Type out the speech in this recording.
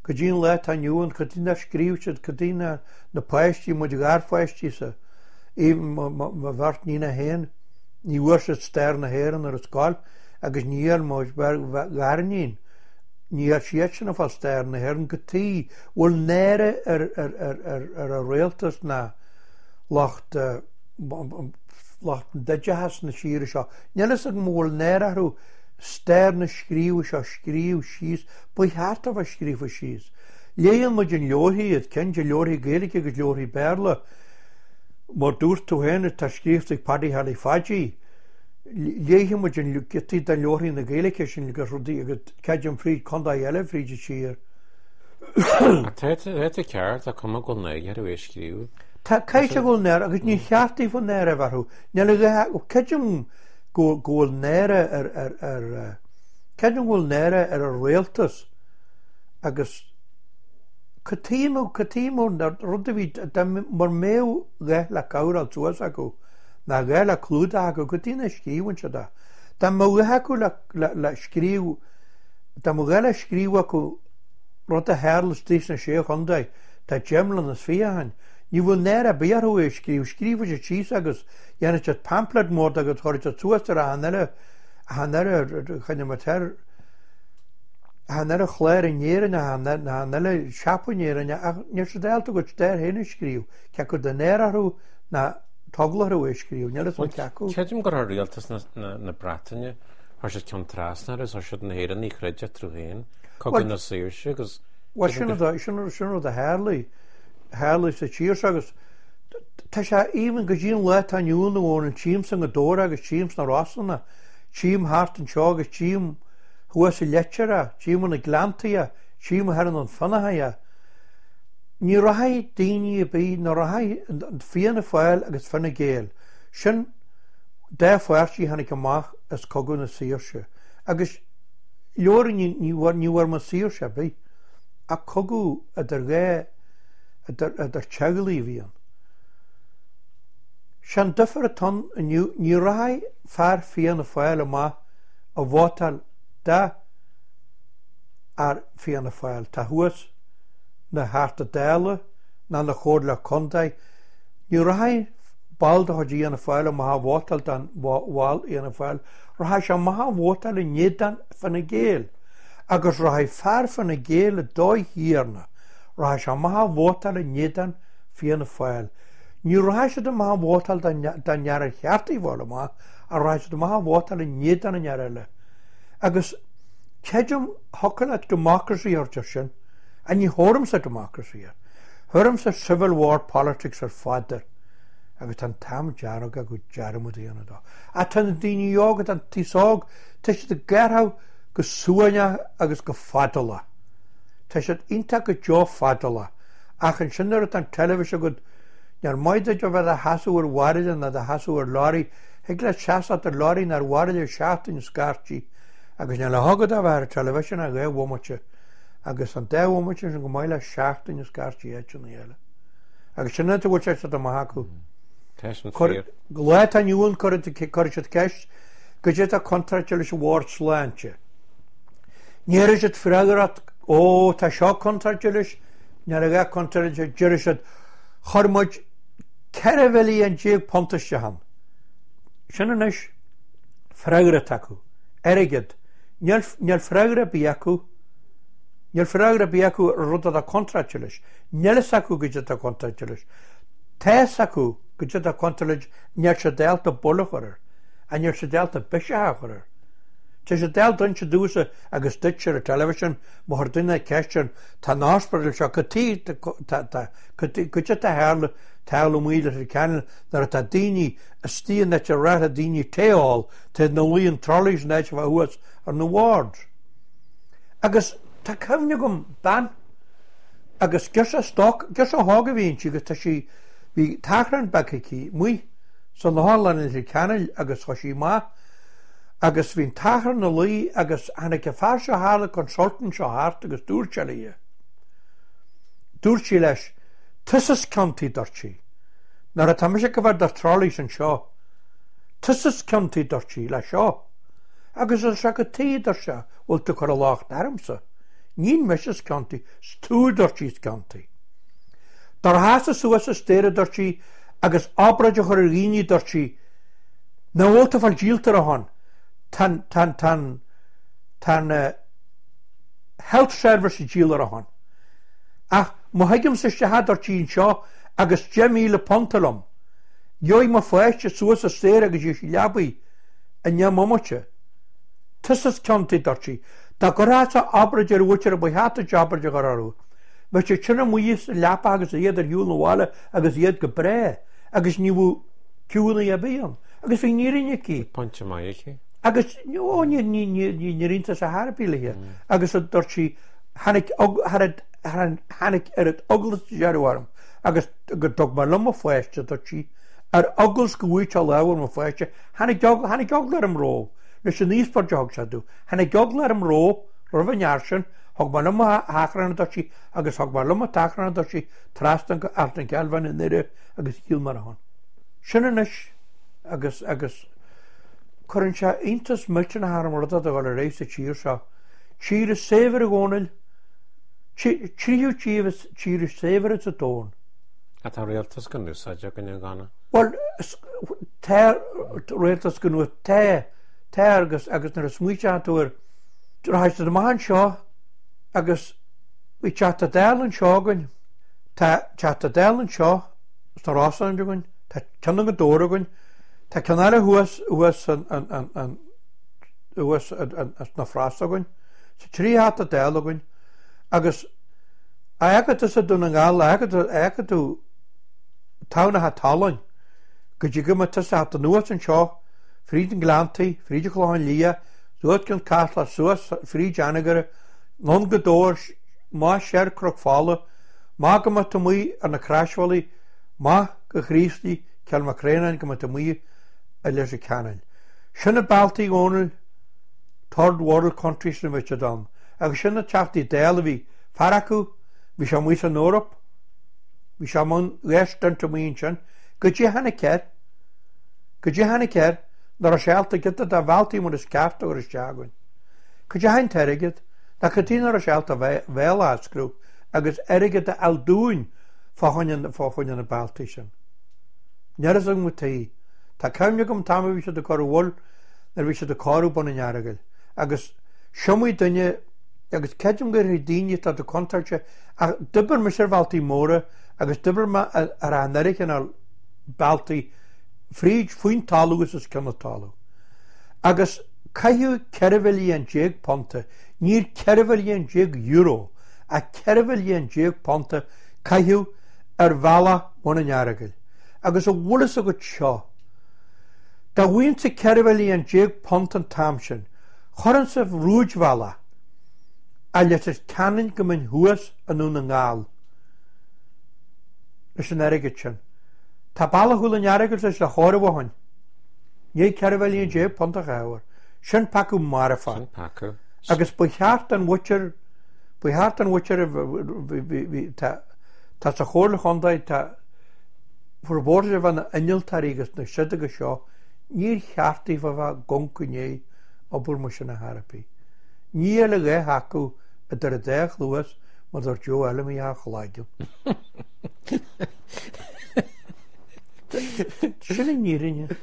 Go dtí an lá atá inniu ann, cad tuige nár scríobh siad, cad tuige ná na páistí, muid gharpháistí-sa, even mo bheirt níonacha féin, ní bhfuair siad stair na hÉireann ar an scoil agus ní fhuair mo ghariníon, ní fhuair siadsan ag fáil stair na hÉireann, cad tuige bhfuil náire ar ar an rialtas ná lucht lucht an oideachais na tíre seo. Níl fhios agam an bhfuil náire orthu stair na scríobh seo scríobh síos Ba cheart a bheith scríofa síos. Léigheann muid in leabharthaí iad, ceann de leabharthaí Gaeilge agus leabharthaí Béarla, mar dúirt tú féin, atá scríofa ag Paddy Charlie Phaidí. Léigheann muid an giotaí de leabharthaí na Gaeilge sin agus rudaí agus creidim fríd contae eile fríd an tír. Tá tú ceart, tá cuma go bhfuil náire orthu é a scríobh. Tá, caithfidh go bhfuil náire agus ní cheart daofa náire a bheith orthu. Níl a dhath, creidim go bhfuil náire ar, ar, ar, Creidim go bhfuil náire ar an rialtas agus cad tuige, cad tuige rud a bhí, dá mura mbeadh a dhath le coverail suas acu, ná a dhath le clúdach acu, cad tuige nach scríobhann siad é. Dá mbeadh a dhath acu le, le, le scríobh, dá mbeadh a dhath le scríobh acu rud a tharla istigh sna Sé Chontae, tá 20 mbliana is 20 ó shin, ní bheadh náire ar bith orthu é a scríobh, scríobhfaidh siad síos agus dhéanfaidh siad pamphlet mór de agus chuirfidh siad suas ar achan uile Achan uile choinne mo tir, achan uile chlár in Éirinn, achan uile siopa in Éirinn, ach níl siad ábalta a gcuid stair féin a scríobh, cé acu de náire orthu ná eagla orthu é a scríobh, níl fhios agam cé acu. Creidim gur chuir rialtas na Breataine, chuir siad ceann trasna orthu, chuir siad na hÉireannaigh a throid eatarthu féin, Cogadh na Saoirse agus. Bhuel, sin rud a tharlaigh, tharlaigh sa tír seo agus Tá sé even go dtí an lá atá inniu ann amháin, tchímse i nGaoth Dobhair agus tchím sna Rosanna, tchím thart anseo agus tchím thuas i Leitir é, tchím ina Gleanntaí é, tchím thoir in An Fionnachaidh é. Ní rachaidh daoine ar bith, ní rachaidh Fianna Fáil agus Fine Gael, sin dá pháirtí a tháinig amach as Cogadh na Saoirse. Agus leor ní bhfuair muid saoirse ar bith ach cogadh idir dhá idir teaghlaigh a bhí ann. Sé an difear atá ann inniu, ní rachaidh fear Fianna Fáil amach a vótáil do fhear Fianna Fáil atá thuas na Theachta Dála ná na Chomhairle Contae, ní rachaidh ball de chuid Fhianna Fáil amach a vótáil don bhall Fhianna Fáil, rachaidh sé amach a vótáil in éadan Fine Gael agus rachaidh fear Fine Gael i dtoigh thiarna. Rachaidh sé amach a vótáil in éadan Fianna Fáil. Ní rachaidh siad amach a vótáil don fhear ar cheart a fháil amach, ach rachaidh siad amach a vótáil in éadan an fhear eile. Agus creidim, thiocfadh leat democracy a thabhairt air sin, ach ní thabharfaimse democracy air. Thabharfaimse civil war politics ar fad air. Agus tá an t-am dearg acu dearmad a dhéanamh dó. Ach tá na daoine óga, tá an t-aos óg, tá siad ag gabháil go suaimhneach agus go fadálach. Tá siad iontach go deo fadálach, ach ansin nuair atá an teilifís agat, níor maith duit a bheith do sheasamh ar bhairille ná do sheasamh ar lorry, thig leat seasamh ar lorry ná ar bhairille seachtain scaití, agus níl a dhath agat ach bheith ar an teilifísean ach 2 bhomaite, agus an dá bhomaite sin go maith le seachtain scaití áiteanna eile. Agus sin an áit a bhfuil sé siad amach acu. Tá sin fíor. Lá atá inniu ann cuirfidh siad ceist goidé atá contráilte leis an Bhord Sláinte. Ní thabharfaidh siad freagra ort, Ó, tá seo contráilte leis, níl a dhath contráilte, déarfaidh siad, chuir muid 14 mhilliún punt isteach ann. Sin anois freagra atá acu. Airgead. Níl, níl freagra ar bith acu. Níl freagra ar bith acu ar rud atá contráilte leis. Níl fhios acu goidé atá contráilte leis. Tá fhios acu goidé atá contráilte leis, níl siad ábalta buille a chur air. Ach níl siad ábalta biseach a chur air. Tá siad ábalta inse domhsa agus duit ar an television má chuir duine ceist orainn, tá an hospital seo, cad tuige, tá, tá, goidé atá tharla, tarlú amuigh i Leitir Ceanainn nuair atá daoine istigh in áit ar mhaith le daoine tae a ól, tá ina luí in trolleys in áit a bheith thuas ar na wards. Agus tá cuimhne agam bean agus girseach stoc, girseach óg a bhí inti agus tá sí, bhí tachrán beag aici amuigh san otharlann i Leitir Ceanainn agus chuaigh sí amach Agus bhí an tachrán ina luí agus tháinig an fear seo thart, an consultant seo thart agus dúirt sé léi, dúirt sí leis, tusa is ciontaí, dúirt sí, nuair atá mise ag bheith ar trolleys anseo, tusa is ciontaí, dúirt sí, le seo. Agus dúirt sé, cad tuige, dúirt sé, bhfuil tú ag cur an locht ormsa? Níl mise is ciontaí, 's tú a dúirt sí is ciontaí. Dá rachfása suas an staighre a dúirt sí agus obráid a chur ar dhaoine a dúirt sí, nach bhfuil tú ag fáil díolta ar a shon, tá an, tá an, tá an, tá an health service ag díol ar a shon. Ach má thigimse isteach a dúirt sí anseo agus £10,000 liom, gheobhaidh mo pháiste suas an staighre agus gheobhaidh sí leabaidh i ndeich mbomaite. Tusa is ciontaí, a dúirt sí. Dá gcuirfeása obráid ar mhuintir ba cheart duit obráid a chur orthu. Bheadh siad sin amuigh sa leapa agus iad ar shiúl 'na bhaile agus iad go breá agus ní bheadh queueanna ar bith ann. Agus bhí an fhírinne aici. Bhí pointe maith aici. Agus, ó, ní, ní, ní, ní, níor iontas ar chor ar bith léi. Agus a dúirt sí, tháinig, tháinig oiread eagla sa deireadh orm agus go dtug mé liom mo pháiste, a dúirt sí, ar eagla go bhfuighteá lámh ar mo pháiste, tháinig, tháinig eagla orm romh, leis an íospóird a thug sé domh, tháinig eagla orm romh, roimh an fhear sin, thug mé liom mo thachrán, a dúirt sí, agus thug mé liom mo thachrán, a dúirt sí, trasna go Ard an Cheilbheáin i nDoire agus dhíol mé ar a shon. Sin anois agus, agus cuireann sé iontas millteanach orm rud atá ag dul ar aghaidh sa tír seo. Tír is saibhir a Dhónaill, tríú tír is tír is saibhir sa domhan. Ach tá rialtas gan úsáid againn a Dhónaill. Bhuel, tá rialtas gan úsáid, tá, tá agus, agus nuair a smaoitíonn tú air, rachaidh siad amach anseo agus bhí Teachta Dála anseo againn, tá Teachta Dála anseo sna Rosann againn, tá ceann i nGaoth Dobhair againn, tá ceann eile thuas, thuas an, an, an, an, thuas sna Frosta againn, tá 3 Theachta Dála againn agus a fheiceann tusa Dún na nGall, a fheiceann tú tamhnacha talún go dtí go mbeidh tusa ag teacht anuas anseo fríd an Gleanntaí, fríd an Chlochán Liath, suas go an Caisleán, suas fríd Anagaire, anonn Gaoth Dobhair, amach soir Cnoc Fola, amach go mbeidh tú amuigh ar na croisbhealaí, amach go Chraoslaigh, Cill Mhic Réanáin go mbeidh tú amuigh i Leitir Ceanainn. Sin na bealtaí a Dhónaill, third world countries na bhí siad ann. Agus sin na Teachtaí Dála a bhí, fear acu, bhí sé amuigh san Eoraip, bhí sé i mbun dhá stint amuigh ansin, goidé a tháinig air, goidé a tháinig air, nach raibh sé ábalta giota de bhealtaí mar is ceart a chur isteach againn. Goidé a tháinig an t-airgead, ná cad chuige nach raibh sé ábalta a bhéal a osclú agus airgead a fháil dúinn fá choinne, fá choinne na bealtaí sin. Níl a fhios agam cad chuige. Tá cuimhne agam an t-am a bhí siad ag cur bhuel nuair a bhí siad ag cóiriú Bun an Earagail agus s'iomaí duine agus creidim gur thig daoine atá do contúirte ach d'oibir mise ar bhealtaí móra agus d'oibir mé ar an oiread cineál bealtaí fríd faoin talamh agus os cionn an talamh. Agus caitheadh 14 mhilliún punta, níor 14 mhilliún euro ach 14 mhilliún punta caitheadh ar bhealach Bhun an Earagail. Agus an bhfuil fhios agat seo, dá bhfaighinnse 14 mhilliún punt an t-am sin, chuirfinnse rúidbhealach as Leitir Ceanainn go mbeinn thuas i nDún na nGall leis an airgead sin. Tá bealach Chúil an Earagail tar éis le chóireamh ó shin. Ní 14 mhilliún punt a chaitheamh air. Sin peacadh marfach. Sin peacadh. Agus ba cheart don mhuintir, ba cheart don mhuintir a bhí, tá, tá sa Chomhairle Chontae, tá formhór de bheith na innealtóirí agus na siod agus seo, níor cheart daofa a bheith ag amharc i ndiaidh obair mar sin a therapy. Ní eile a dhath acu idir an dá chluas mar dúirt Joe Fheilimí a chloigeann. Sin an fhírinne.